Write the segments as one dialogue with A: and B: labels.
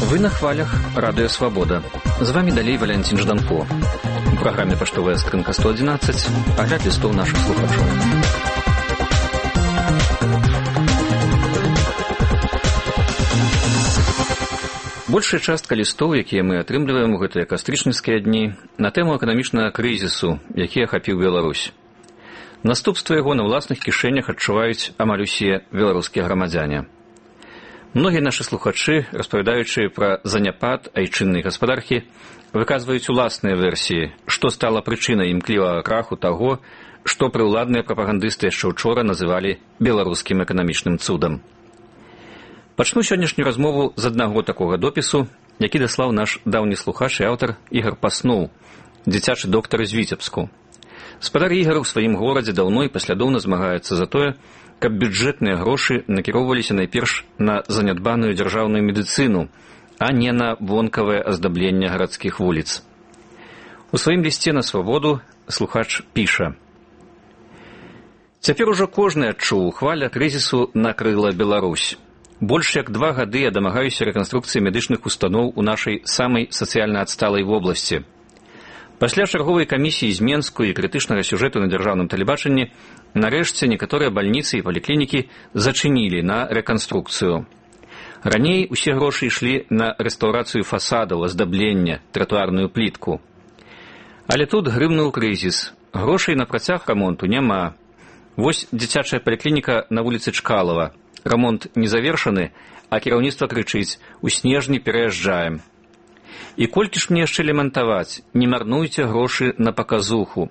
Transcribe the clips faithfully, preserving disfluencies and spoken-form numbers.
A: Вы на хвалях Радио Свобода. З вами далей Валентин Жданко. У праграме «Паштовая скрынка сто одиннадцать» агляд лістоў нашых слухачоў. Большая частка лістоў, якія мы атрымліваем у гэтыя кастрычніцкія дні, на тэму эканамічнага крызісу, які ахапіў Беларусь. Наступства яго на ўласных кішэнях адчуваюць амаль усе беларускія грамадзяне. Многія нашы слухачы, распавядаючы пра заняпад айчыннай гаспадаркі, выказваюць уласныя версіі, што стала прычынай імклівага краху таго, што прыўладныя прапагандысты яшчэ учора называлі беларускім эканамічным цудам. Пачну сённяшнюю размову з аднаго такога допісу, які даслаў наш даўні слухач і аўтар Ігар Паснуў, дзіцячы доктар з Віцебску. Спадар Ігар у сваім горадзе даўно і паслядоўна змагаецца за тое, каб бюджэтныя грошы накіроўваліся найперш на занядбаную дзяржаўную медыцыну, а не на вонкавае аздабленне гарадскіх вуліц. У сваім лісце на свабоду слухач піша: «Цяпер ужо кожны адчуў, хваля крызісу накрыла Беларусь. Больш як два гады я дамагаюся рэканструкцыі медычных устаноў у нашай самай сацыяльна адсталай вобласці. Пасля чарговай камісіі з Менску і крытычнага сюжэту на дзяржаўным тэлебачанні нарэшце некаторыя бальніцы і паліклінікі зачынілі на рэканструкцыю. Раней усе грошы ішлі на рэстаўрацыю фасадаў, аздаблення, тратуарную плітку. Але тут грымнуў крызіс. Грошай на працяг рамонту няма. Вось дзіцячая паліклініка на вуліцы Чкалова. Рамонт не завершаны, а кіраўніцтва крычыць: у снежні пераязджаем. І колькі ж мне яшчэ лямантаваць, не марнуйце грошы на паказуху.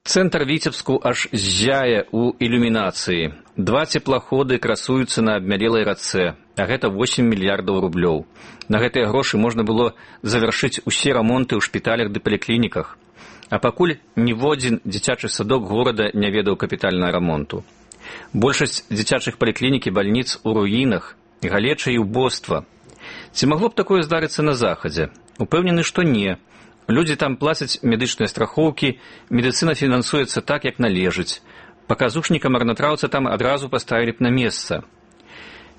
A: Цэнтр Віцебску аж ззяе ў ілюмінацыі. Два цеплаходы красуюцца на абмялелай рацэ, а гэта восем мільярдаў рублёў. На гэтыя грошы можна было завяршыць усе рамонты ў шпіталях ды паліклініках. А пакуль ніводзін дзіцячы садок горада не ведаў капітальнага рамонту. Большасць дзіцячых паліклінік і бальніц у руінах, галеча і ўбоства. Ці магло б такое здарыцца на захадзе? Упэўнены, што не. Людзі там плацяць медычныя страхоўкі, медыцына фінансуецца так, як належыць. Паказушніка марнатраўца там адразу паставілі б на месца.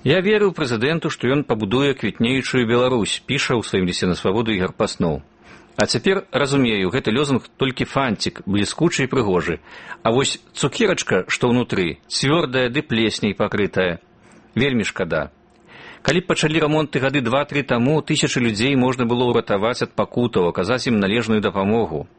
A: Я верыў прэзідэнту, што ён пабудуе квітнеючую Беларусь, піша ў сваім лісце на свабоду Ігар Паснуў. А цяпер разумею, гэты лозунг толькі фантик, бліскучы і прыгожы. А вось цукерачка, што ўнутры, цвёрдая ды плесняй пакрытая. Вельмі шкада. Калі б пачалі рамонты гады два-тры таму, тысячы людзей можна было ўратаваць ад пакутаў, аказаць ім належную дапамогу.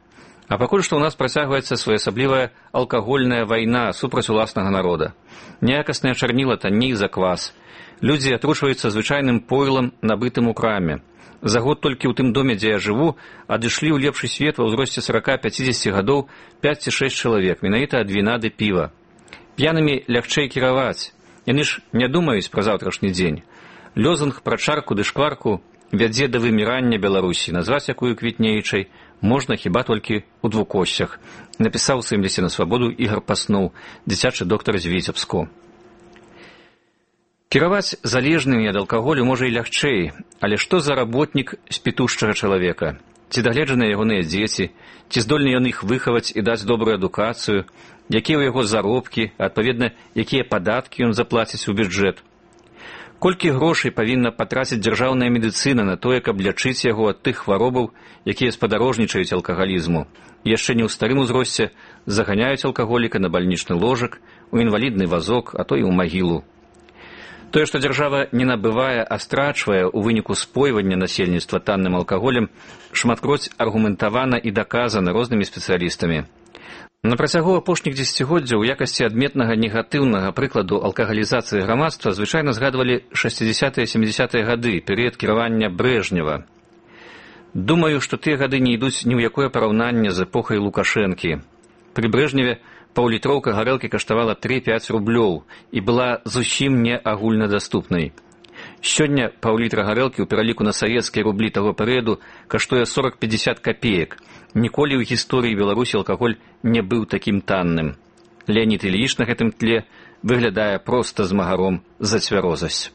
A: А пакуль што ў нас працягваецца своеасаблівая алкагольная вайна супраць уласнага народа. Неякаснае чарніла танней за квас. Людзі атручваюцца звычайным пойлам, набытым у краме. За год толькі ў тым доме, дзе я жыву, адышлі ў лепшы свет ва ўзросце сорок-пятьдесят гадоў пяць ці шэсць чалавек, менавіта ад віна ды піва. П'янымі лягчэй кіраваць. Яны ж не думаюць пра заўтрашні дзень. Лёзунг пра чарку ды шкварку вядзе да вымірання Беларусі, назваць якую квітнеючай можна хіба толькі ў двукосцях, напісаў у сваім лісце на свабоду Ігар Паснуў, дзіцячы доктар з Віцебску. Кіраваць залежнымі ад алкаголю можа і лягчэй, але што за работнік спітушчага чалавека? Ці дагледжаныя ягоныя дзеці, ці здольны ён іх выхаваць і даць добрую адукацыю, якія ў яго заробкі, адпаведна, якія падаткі ён заплаціць у бюджэт? Колькі грошай павінна патраціць дзяржаўная медыцына на тое, каб лячыць яго ад тых хваробаў, якія спадарожнічаюць алкагалізму, і яшчэ не ў старым узросце заганяюць алкаголіка на бальнічны ложак, у інвалідны вазок, а то і ў магілу. Тое, што дзяржава не набывае, а страчвае ў выніку спойвання насельніцтва танным алкаголем, шматкроць аргументавана і даказана рознымі спецыялістамі. На працягу апошніх дзесяцігоддзяў у якасці адметнага негатыўнага прыкладу алкагалізацыі грамадства звычайна згадвалі шэсцідзесятыя-сямідзесятыя гады, перыяд кіравання Брэжнева. Думаю, што тыя гады не ідуць ні ў якое параўнанне з эпохай Лукашэнкі. Пры Брэжневе паўлітроўка гарэлкі каштавала тры-пяць рублёў і была зусім не агульнадаступнай. Сёння паўлітра гарэлкі ў пераліку на савецкія рублі таго перыяду каштуе сорок-пятьдесят копеек. Ніколі ў гісторыі Беларусі алкаголь не быў такім танным. Леонід Ільіч на гэтым тле выглядае проста змагаром за цвярозасць.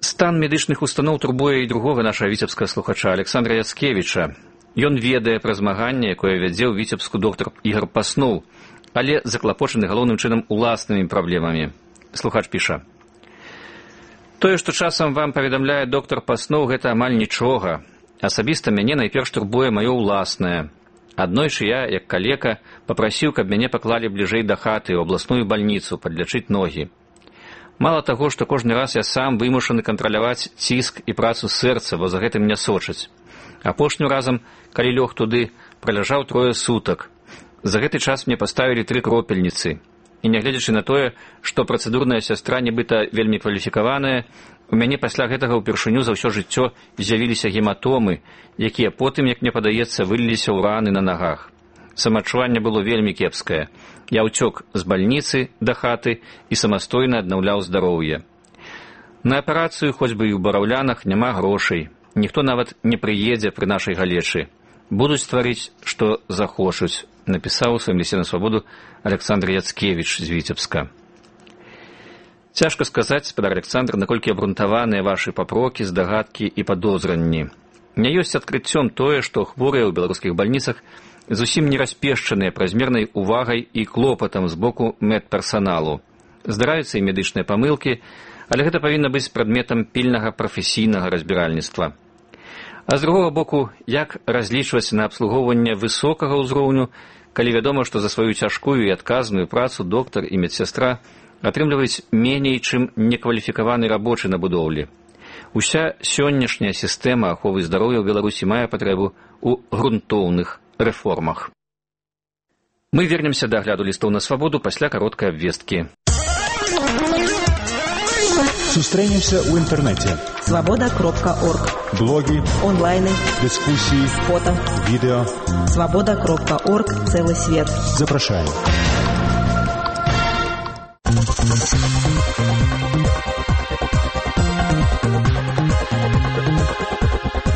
A: Стан медычных устаноў турбуе і другога нашага віцебскага слухача Александра Яцкевіча. Ён ведае пра змаганне, якое вядзе ў Віцебску доктар Ігар Паснуў, але заклапочаны галоўным чынам уласнымі праблемамі. Слухач піша: «Тое, што часам вам паведамляе доктар паснуў, гэта амаль нічога. Асабіста мяне найперш турбуе маё ўласнае. Аднойчы я, як калека, папрасіў, каб мяне паклалі бліжэй да хаты ў абласную бальніцу падлячыць ногі. Мала таго, што кожны раз я сам вымушаны кантраляваць ціск і працу сэрца, бо за гэтым не сочаць. Апошнім разам, калі лёг туды, праляжаў трое сутак. За гэты час мне паставілі тры кропельніцы. І нягледзячы на тое, што працэдурная сястра нібыта вельмі кваліфікаваная, у мяне пасля гэтага ўпершыню за ўсё жыццё з'явіліся гематомы, якія потым, як мне падаецца, выліліся ў раны на нагах. Самаадчуванне было вельмі кепскае. Я ўцёк з бальніцы да хаты і самастойна аднаўляў здароўе. На аперацыю, хоць бы і ў бараўлянах, няма грошай. Ніхто нават не прыедзе пры нашай галечы. Будуць стварыць, што захочуць», напісаў у сваім лісце на свабоду Александр Яцкевіч з Віцебска. Цяжка сказаць, спадар Александр, наколькі абрунтаваныя вашы папрокі, здагадкі і падозранні. Не ёсць адкрыццём тое, што хворыя ў беларускіх бальніцах зусім не распешчаныя празмернай увагай і клопатам з боку медперсаналу. Здараюцца і медычныя памылкі, але гэта павінна быць прадметам пільнага прафесійнага разбіральніцтва. А з другога боку, як разлічваць на абслугоўванне высокага ўзроўню, калі вядома, што за сваю цяжкую і адказную працу доктар і медсястра атрымліваюць меней, чым некваліфікаваны рабочы на будоўлі. Уся сённяшняя сістэма аховы здароўя ў Беларусі мае патрэбу ў грунтоўных рэформах. Мы вернемся да агляду лістоў на свабоду пасля кароткай абвесткі.
B: Сустрэнемся ў інтэрнэце.
C: свобода кропка орг.
B: Блогі,
C: онлайны,
B: дыскусіі,
C: фото,
B: відэо.
C: свобода кропка орг. Целый свет.
B: Запрашаем.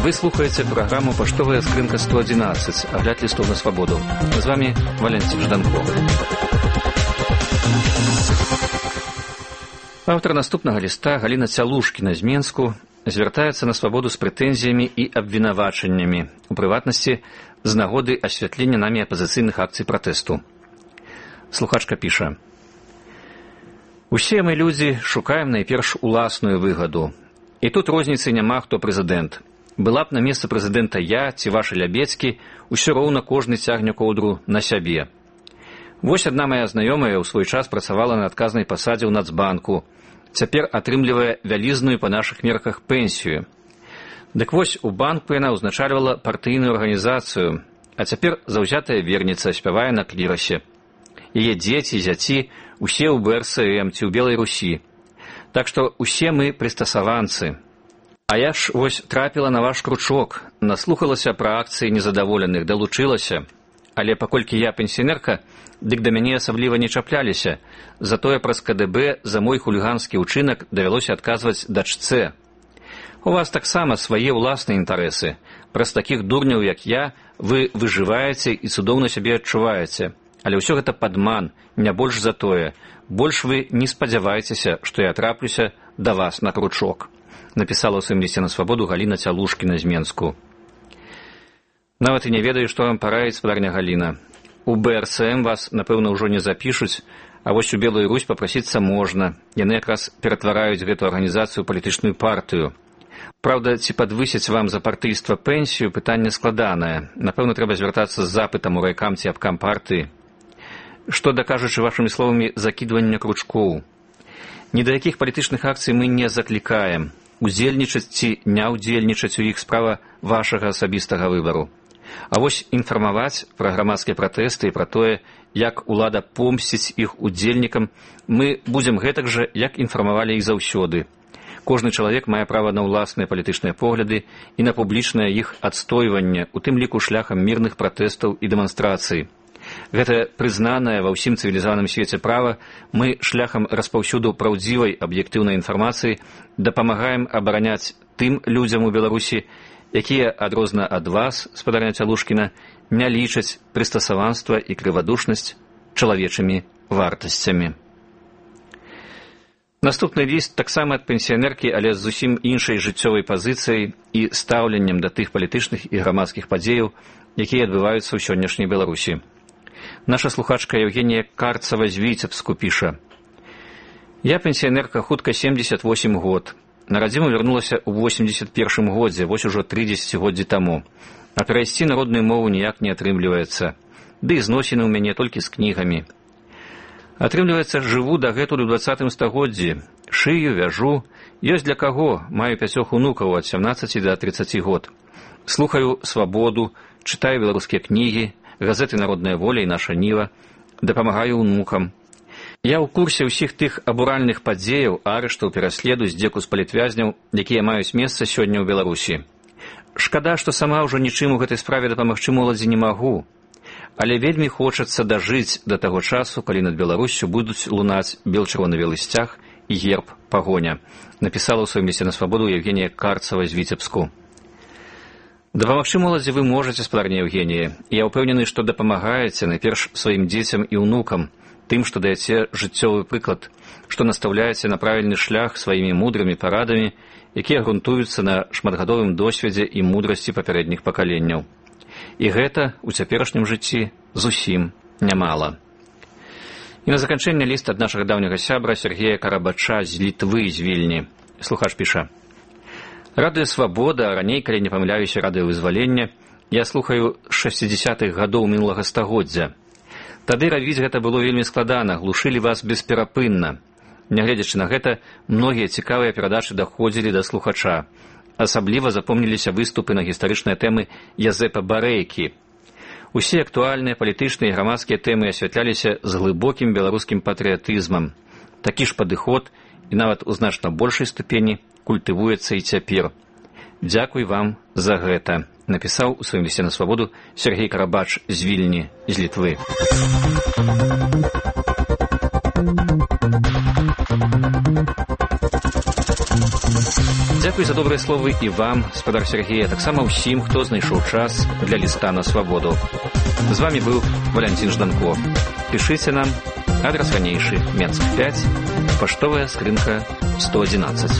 A: Вы слухаеце праграму «Паштовая скрынка сто одиннадцать», агляд лістоў на свабоду. З вами Валентин Жданков. Аўтар наступнага ліста Галіна Цялушкіна з Менску звяртаецца на свабоду з прэтэнзіямі і абвінавачаннямі, у прыватнасці з нагоды асвятлення намі апазіцыйных акцый пратэсту. Слухачка піша: «Усе мы людзі шукаем найперш уласную выгаду. І тут розніцы няма, хто прэзідэнт. Была б на месцы прэзідэнта я ці вашы лябецкі, усё роўна кожны цягне коўдру на сябе. Вось адна мая знаёмая ў свой час працавала на адказнай пасадзе ў Нацбанку. Цяпер атрымлівае вялізную па нашых мерках пенсію. Дык вось у банку яна ўзначальвала партыйную арганізацыю, а цяпер заўзятая верніца спявае на клірасе. Яе дзеці, зяці, усе ў бэ эр эс эм ці ў Белай Русі. Так што усе мы прыстасаванцы. А я ж вось трапіла на ваш кручок, наслухалася пра акцыі незадаволеных, далучылася. Але паколькі я пенсіонерка, дык да мяне асабліва не чапляліся, затое праз ка дэ бэ за мой хуліганскі ўчынак давялося адказваць дачцэ. У вас таксама свае ўласныя інтарэсы. Праз такіх дурняў, як я, вы выжываеце і цудоўна сябе адчуваеце. Але ўсё гэта падман, не больш за тое. Больш вы не спадзявайцеся, што я траплюся да вас на кручок», напісала ў сваім лісце на свабоду Галіна Цялушкіна з Менску. Нават і не ведаю, што вам параіць, спадарня Галіна. У бэ эр эс эм вас, напэўна, ўжо не запішуць, а вось у Белую Русь папрасіцца можна. Яны якраз ператвараюць гэту арганізацыю ў палітычную партыю. Праўда, ці падвысяць вам за партыйства пенсію, пытанне складанае. Напэўна, трэба звяртацца з запытам у райкам ці абкам партыі. Што, дакажучы вашымі словамі, закідвання кручкоў. Ні да якіх палітычных акцый мы не заклікаем. Удзельнічаць ці не ўдзельнічаць у іх справа вашага асабістага выбару. А вось інфармаваць пра грамадскія пратэсты і пра тое, як улада помсціць іх удзельнікам, мы будзем гэтак жа, як інфармавалі іх заўсёды. Кожны чалавек мае права на ўласныя палітычныя погляды і на публічнае іх адстойванне, у тым ліку шляхам мірных пратэстаў і дэманстрацый. Гэта прызнанае ва ўсім цывілізаваным свеце права, мы шляхам распаўсюду праўдзівай аб'ектыўнай інфармацыі дапамагаем абараняць тым людзям у Беларусі, якія, адрозна ад вас, спадарня Цялушкіна, не лічаць прыстасаванства і крывадушнасць чалавечымі вартасцямі. Наступны ліст таксама ад пенсіянеркі, але з зусім іншай жыццёвай пазіцыяй і стаўленнем да тых палітычных і грамадскіх падзеяў, якія адбываюцца ў сённяшняй Беларусі. Наша слухачка Евгения Карцева з Віцебску піша: «Я пенсіянерка, хутка семьдесят восемь год. На радзіму вярнулася ў восемьдесят першым годзе, вось ужо тры дзесяцігоддзі таму. А перайсці на родную мову ніяк не атрымліваецца. Ды і зносіны ў мяне толькі з кнігамі. Атрымліваецца, жыву дагэтуль у двадцатым стагоддзі. Шыю, вяжу. Ёсць для каго. Маю пяцёх унукаў ад сямнаццаці да трыццаці год. Слухаю «Свабоду», чытаю беларускія кнігі, газеты «Народная воля» і «Наша Ніва», дапамагаю унукам. Я ў курсе ўсіх тых абуральных падзеяў, арыштаў, пераследу, здзеку з палітвязняў, якія маюць месца сёння ў Беларусі. Шкада, што сама ўжо нічым у гэтай справе дапамагчы моладзі не магу. Але вельмі хочацца дажыць да таго часу, калі над Беларуссю будуць лунаць бел-чырвона-белы сцяг і герб пагоня», напісала ў сваім лісце на «Свабоду» Евгения Карцева з Віцебску. Дапамагчы моладзі вы можаце, спадарня Евгенія. Я ўпэўнены, што дапамагаеце найперш сваім дзецям і ўнукам, тым, што даеце жыццёвы прыклад, што настаўляеце на правільны шлях сваімі мудрымі парадамі, якія грунтуюцца на шматгадовым досведзе і мудрасці папярэдніх пакаленняў. І гэта ў цяперашнім жыцці зусім нямала. І на заканчэнне ліст ад нашага даўняга сябра Сергея Карабача з Літвы, з Вільні. Слухач піша: «Радыё «Свабода», а раней, калі не памыляюся, радыё «Вызвалення», я слухаю з шэсцідзясятых гадоў мінулага стагоддзя. Тады рабіць гэта было вельмі складана, глушылі вас бесперапынна. Нягледзячы на гэта, многія цікавыя перадачы даходзілі да слухача. Асабліва запомніліся выступы на гістарычныя тэмы Язэпа Барэйкі. Усе актуальныя палітычныя і грамадскія тэмы асвятляліся з глыбокім беларускім патрыятызмам. Такі ж падыход, і нават у значна большай ступені, культывуецца і цяпер. Дзякуй вам за гэта», напісаў у сваім лісце на «Свабоду» Сергей Карабач з Вільні, з Літвы. Дзякуй за добрыя словы і вам, спадар Сергея, таксама ўсім, хто знайшоў час для ліста на «Свабоду». З вами быў Валянцін Жданко. Пішыце нам, адрас ранейшы, Менск пяць, паштовая скрынка сто адзінаццаць.